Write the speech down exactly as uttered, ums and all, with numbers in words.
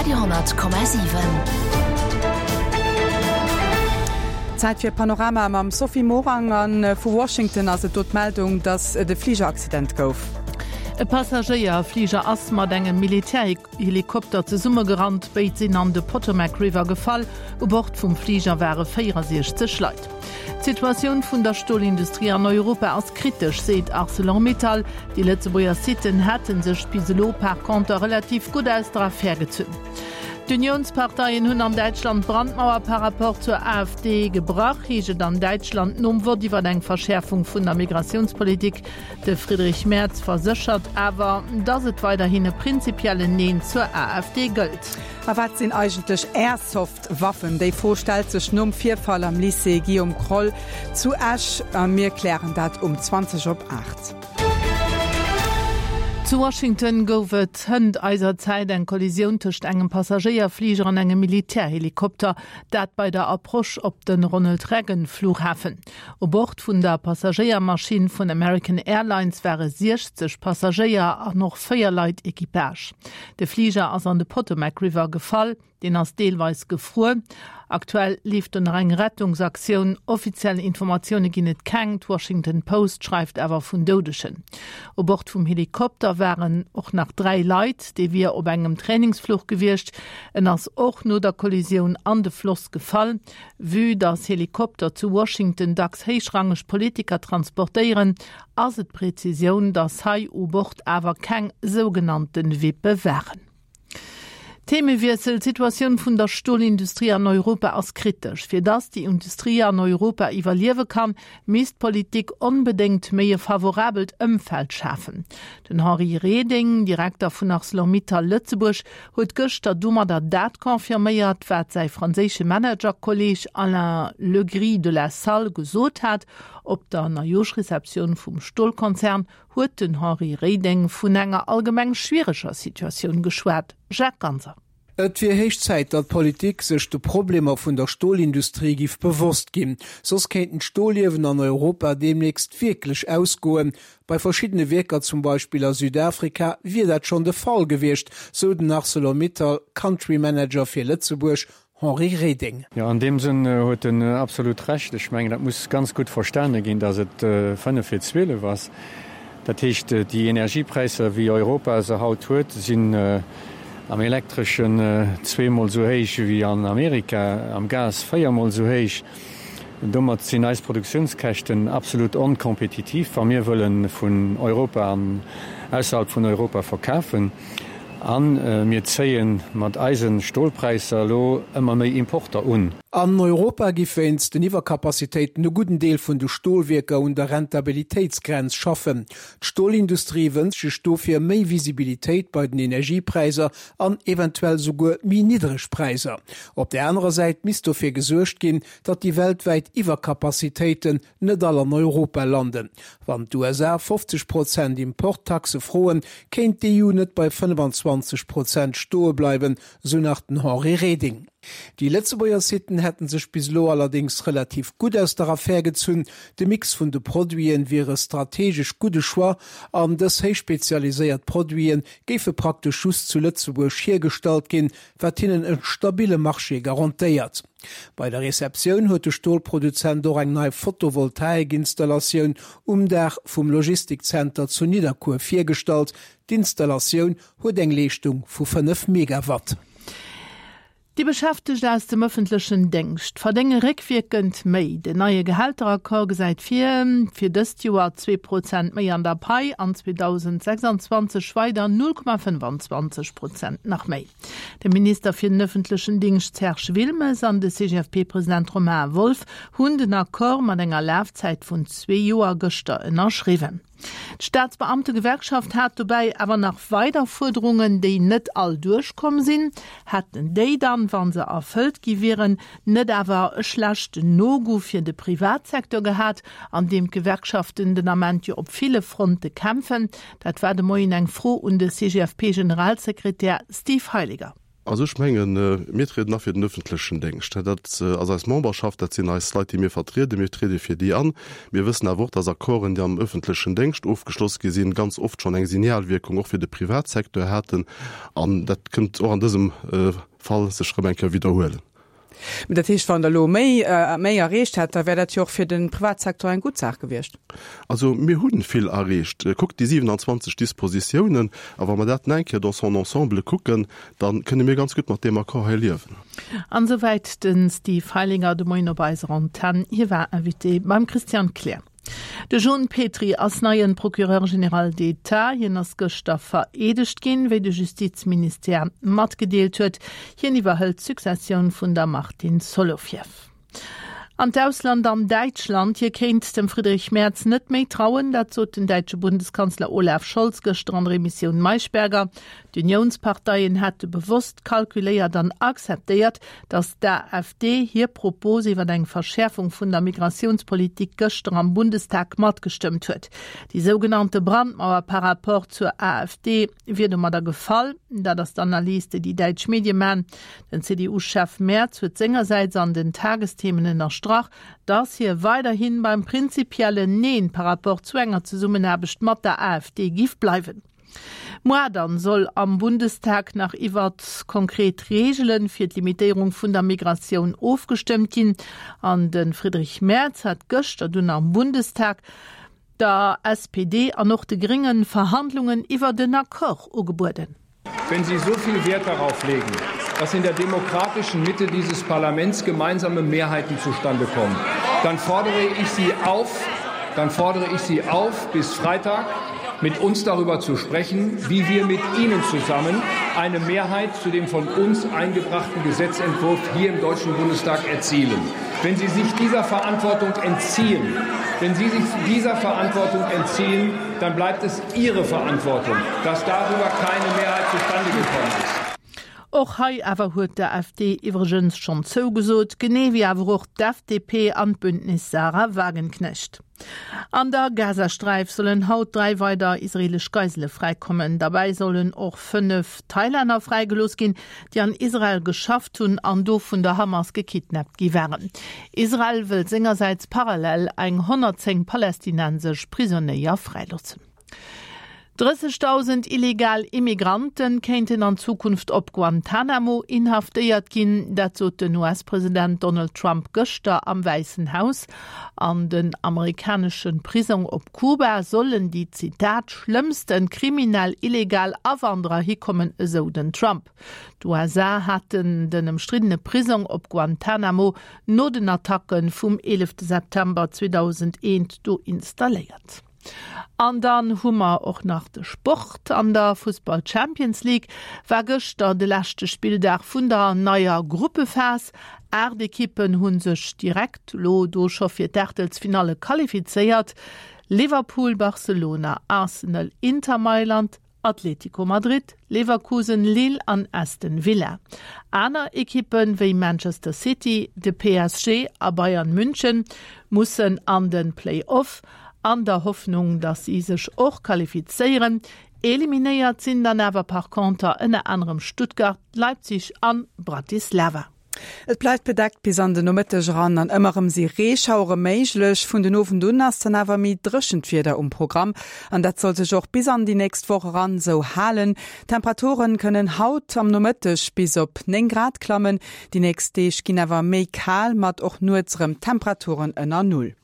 Radio honnert Komma siwen. Zäit fir Panorama mam Sophie Morang an vu Washington ass et do d'Meldung, datt et e Fligeraccident gouf. E Passagéierfliger ass mat engem Militärhelikopter zesummegerannt. Béid sinn an de Potomac River gefall. U Bord vum Fliger ware véierundsechzeg Leit. D'Situatioun vun der Stolindustrie an Europa ass kritesch, seet Arcelor-Mittal. Déi Lëtzebuerger Sitten hätte sech bis elo par conter relativ gutt aus der Affär gezunn. D'Unionsparteien hunn an Däitschland d'Brandmauer par rapport zur AfD gebrach, heescht et an Däitschland nom Vott iwwer eng Verschäerfung vun der Migratiounspolitik. De Friedrich Merz verséchert awer, datt et weiderhin e prinzipiellen Neen zur AfD gëllt. A wat sinn eigentlech Airsoft-Waffen? Déi Fro stellt sech nom Virfall am Lycée Guillaume Kroll zu Esch. A mir klären dat um zwanzeg op aacht. Zu Washington gouf et hënt eiser Zäit eng Kollisioun tëscht engem Passagéierfliger an engem Militärhelikopter, dat bei der Approche op de Ronald Reagan Flughafen. U Bord vun der Passagéiermaschinn vun American Airlines ware siechzeg Passagéier an och véier Leit Equipage. De Fliger ass an de Potomac River gefall. Deen ass deelweis gefruer. Aktuell leeft do nach eng Rettungsaktioun. Offiziell Informatioune ginn et keng, d'Washington Post schreift awer vun Doudegen. U Bord vum Helikopter waren och nach dräi Leit, dee wier op engem Trainingsfluch gewiescht. En ass och no der Kollisioun an de Floss gefall. Vue dass Helikopter zu Washington dacks héichrangeg Politiker transportéieren, ass et d'Prezisioun, dass hei u Bord awer keng sougenannte VIPe waren. Themewiessel, D'Situatioun vun der Stolindustrie an Europa ass kritesch. Fir dass déi Industrie an Europa iwwerliewe kann, misst d'Politik onbedéngt méi e favorabelt Ëmfeld schafen. Den Henri Reding, Direkter vun Arcelor-Mittal Lëtzebuerg, huet gëschter domadder dat confirméiert, wat säi franséische Managerkolleeg Alain Legris de la Salle gesot hat. Op der Neijooschreceptioun vum Stolkonzern huet den Henri Reding vun enger allgemeng schwiereger Situatioun geschwat. Jacques Ganser. Et wier héich Zäit, datt d'Politik sech de Problemer vun der Stolindustrie giff bewosst ginn, soss kéinten d'Stoliewen an Europa deemnächst wierklech ausgoen. Bei verschiddene Wierker, zum Beispill a Südafrika, wier dat schonn de Fall gewiescht, sou den Arcelor-Mittal Country Manager fir Lëtzebuerg Henri Reding. Jo, an deem Sënn huet en absolut Recht. Ech mengen, dat muss ganz gutt verstane ginn, datt et fënnef vir zwielef ass. Dat heescht, déi Energiepräisser, wéi Europa se haut huet, sinn am Elektreschen zweemol esou héich wéi an Amerika, am Gas véiermol esou héich. Domat sinn eis Produktiounskäschten absolut onkompetitiv, wa mir wëlle vun Europa an ausserhalb vun Europa verkafen. A mir zéie mat eise Stolpräisser elo ëmmer méi Importer un. An Europa gi wéinst den Iwwercapacitéiten e gudden Deel vun de Stolwierker un der Rentabilitéitsgrenz schaffen. D'Stolindustrie wënscht sech dofir méi Visibilitéit bei den Energiepräisser an eventuell souguer méi niddreg Präisser. Op där anerer Säit misst dofir gesuergt ginn, datt déi weltwäit Iwwercapacitéiten net all an Europa landen. Wann d'U S A fofzeg Prozent Importtaxe froen, kéint d'E U net bei fënnefenzwanzeg Prozent stoe bleiwen, sou nach den Henri Reding. Déi Lëtzebuerger Sitten hätten sech bis elo allerdéngs relativ gutt aus der Affär gezunn. De Mix vun de Produiten wier e strategesch gudde Choix an dës héich spezialiséiert Produiten géife praktesch just zu Lëtzebuerg hiergestallt ginn, wat hinnen e stabille Marché garantéiert. Bei der Receptioun huet de Stolproduzent och eng nei Photovoltaikinstallatioun um Daach vum Logistikzenter zu Nidderkuer virgestallt. D'Installatioun huet eng Leeschtung vu fënnef Megawatt. Déi Beschäftegt aus dem ëffentlechen Déngscht verdénge réckwierkend méi. Den neie Gehälteraccord gesäit vir, fir dëst Joer zwee Prozent méi an der Pai an zweedausendsechsundzwanzeg weider null Komma fënnefanzwanzeg Prozent nach méi. De Minister fir den ëffentlechen Dingscht Serge Wilmes an de C G F P-President Romain Wolff hunn den Accord mat enger Lafzäit vun zwee Joer gëschter ënnerschriwwen. D'Staatsbeamtegewerkschaft hat dobäi awer nach weider Fuerderungen, déi net all duerchkomm sinn. Hätten déi dann, wa se erfëllt gi wieren, net awer e schlechten No-Goût fir de Privatsecteur gehat, an deem d'Gewerkschaften den Ament jo op ville Fronte kämpfen? Dat war de Moien eng Fro un de C G F P-Generalsekretär Steve Heiliger. Also ech mengen, mir trieden a fir den öffentlechen Déngscht. Dat ass eis Memberschaft, dat sinn eis Leit, déi mir vertrieden. Mir triede fir déi an. Mir wëssen awer och, dass Accorden, déi am öffentlechen Déngscht ofgeschloss gi sinn, ganz oft schonn eng Signalwierkung och fir de Privatsecteur haten. An dat kënnt och an dësem Fall sech erëm eng Kéier widderhuelen. Mee dat heescht, wann Der elo méi, méi erreecht hätt, da wär dat jo och fir de Privatsecteur eng gutt Saach gewiescht. Also mir hu vill erreecht. Kuckt déi siwenanzwanzeg Dispositiounen, a wa mer dat nach eng Kéier dans son ensemble kucken, da kënne mir ganz gutt mat deem Accord hei liewen. An esouwäit de Steve Heilinger de Moien op eiser Antenn. Hie war Invité beim Christian Kleer. De Jon Petry ass neien Procureur général d'État. Hien ass gëschter vereedegt ginn, wéi de Justizministère matgedeelt huet. Hien iwwerhëlt d'Successioun vun der Martine Solovieff. An d'Ausland An Däitschland, hie kéint dem Friedrich Merz net méi trauen, dat sot den däitsche Bundeskanzler Olaf Scholz gëschter an der Emissioun Maischberger. D'Uniounsparteien hätte bewosst kalkuléiert an akzeptéiert, datt d'AfD hir Propos iwwer eng Verschäerfung vun der Migratiounspolitik gëschter am Bundestag matgestëmmt huet. Déi sougenannte Brandmauer par rapport zur AfD wier domadder gefall. Dat ass d'Analys, déi déi däitsch Medie man. Den C D U-Chef Merz huet sengersäits an den Tagesthemen ënnerstrach, datt hie weiderhi beim prinzipiellen Neen par rapport zu enger Zesummenaarbecht mat der A F D giff bleiwen. Moar dann soll am Bundestag nach iwwert konkret Reegele fir d'Limitéierung vun der Migratioun ofgestëmmt ginn. An de Friedrich Merz hat gëschter dunn am Bundestag der S P D an och de Gréngen Verhandlungen iwwer den Accord ugebueden. Wenn Sie so viel Wert darauf legen, dass in der demokratischen Mitte dieses Parlaments gemeinsame Mehrheiten zustande kommen, dann fordere ich Sie auf, dann fordere ich Sie auf, bis Freitag mit uns darüber zu sprechen, wie wir mit Ihnen zusammen eine Mehrheit zu dem von uns eingebrachten Gesetzentwurf hier im Deutschen Bundestag erzielen. Wenn Sie sich dieser Verantwortung entziehen, wenn Sie sich dieser Verantwortung entziehen, dann bleibt es Ihre Verantwortung, dass darüber keine Mehrheit zustande gekommen ist. Och hei awer huet d'AfD iwwregens schonn zougesot, genee wéi awer och d'F D P an d'Bündnis Sahra Wagenknecht. An der Gazasträif sollen haut dräi weider israeelesch Geisele fräikommen. Derbäi sollen och fënnef Thailänner fräigelooss ginn, déi an Israel geschafft hunn an do vun der Hamas gekidnappt gi waren. Israel wëll sengersäits parallel eng honnertzéng palästinensesch Prisonéier fräiloossen. Drëssegdausend illegal Immigranten kéinten an Zukunft op Guantanamo inhaftéiert ginn, dat sot den U S-President Donald Trump gëschter am Wäissen Haus. An den amerikanesche Prisong op Kuba sollen déi, Zitat, schlëmmste kriminell illegal Awanderer hikommen, esou den Trump. D'U S A haten den ëmstriddene Prisong op Guantanamo no den Attacke vum eelefte September zweedausendeent do installéiert. An dann hu mer och nach de Sport. An der Fussball Champions League war gëschter de leschte Spilldag vun der neier Gruppephas. Aacht Ekippen hu sech direkt lo do scho fir d'Aachtelsfinalle qualifizéiert, Liverpool, Barcelona, Arsenal, Inter Mailand, Atlético Madrid, Leverkusen, Lille an Aston Villa. Aner Ekippen wéi Manchester City, de P S G a Bayern München mussen an den Play-off an der Hoffnung, datt si sech och qualifizéieren. Eliminéiert sinn dann awer par conter ënner anerem Stuttgart, Leipzig an Bratislava. Et bleift bedeckt bis an de Nomëtteg eran an ëmmer erëm si Reeschauere méiglech. Vun den Owend un ass dann awer méi dréchent Wieder um Programm an dat soll sech och bis an déi nächst Woch eran sou halen. D'Temperaturen kënnen haut am Nomëtteg bis op néng Grad klammen. Déi nächst Deeg ginn awer méi kal mat och nuets erëm Temperaturen ënner Null.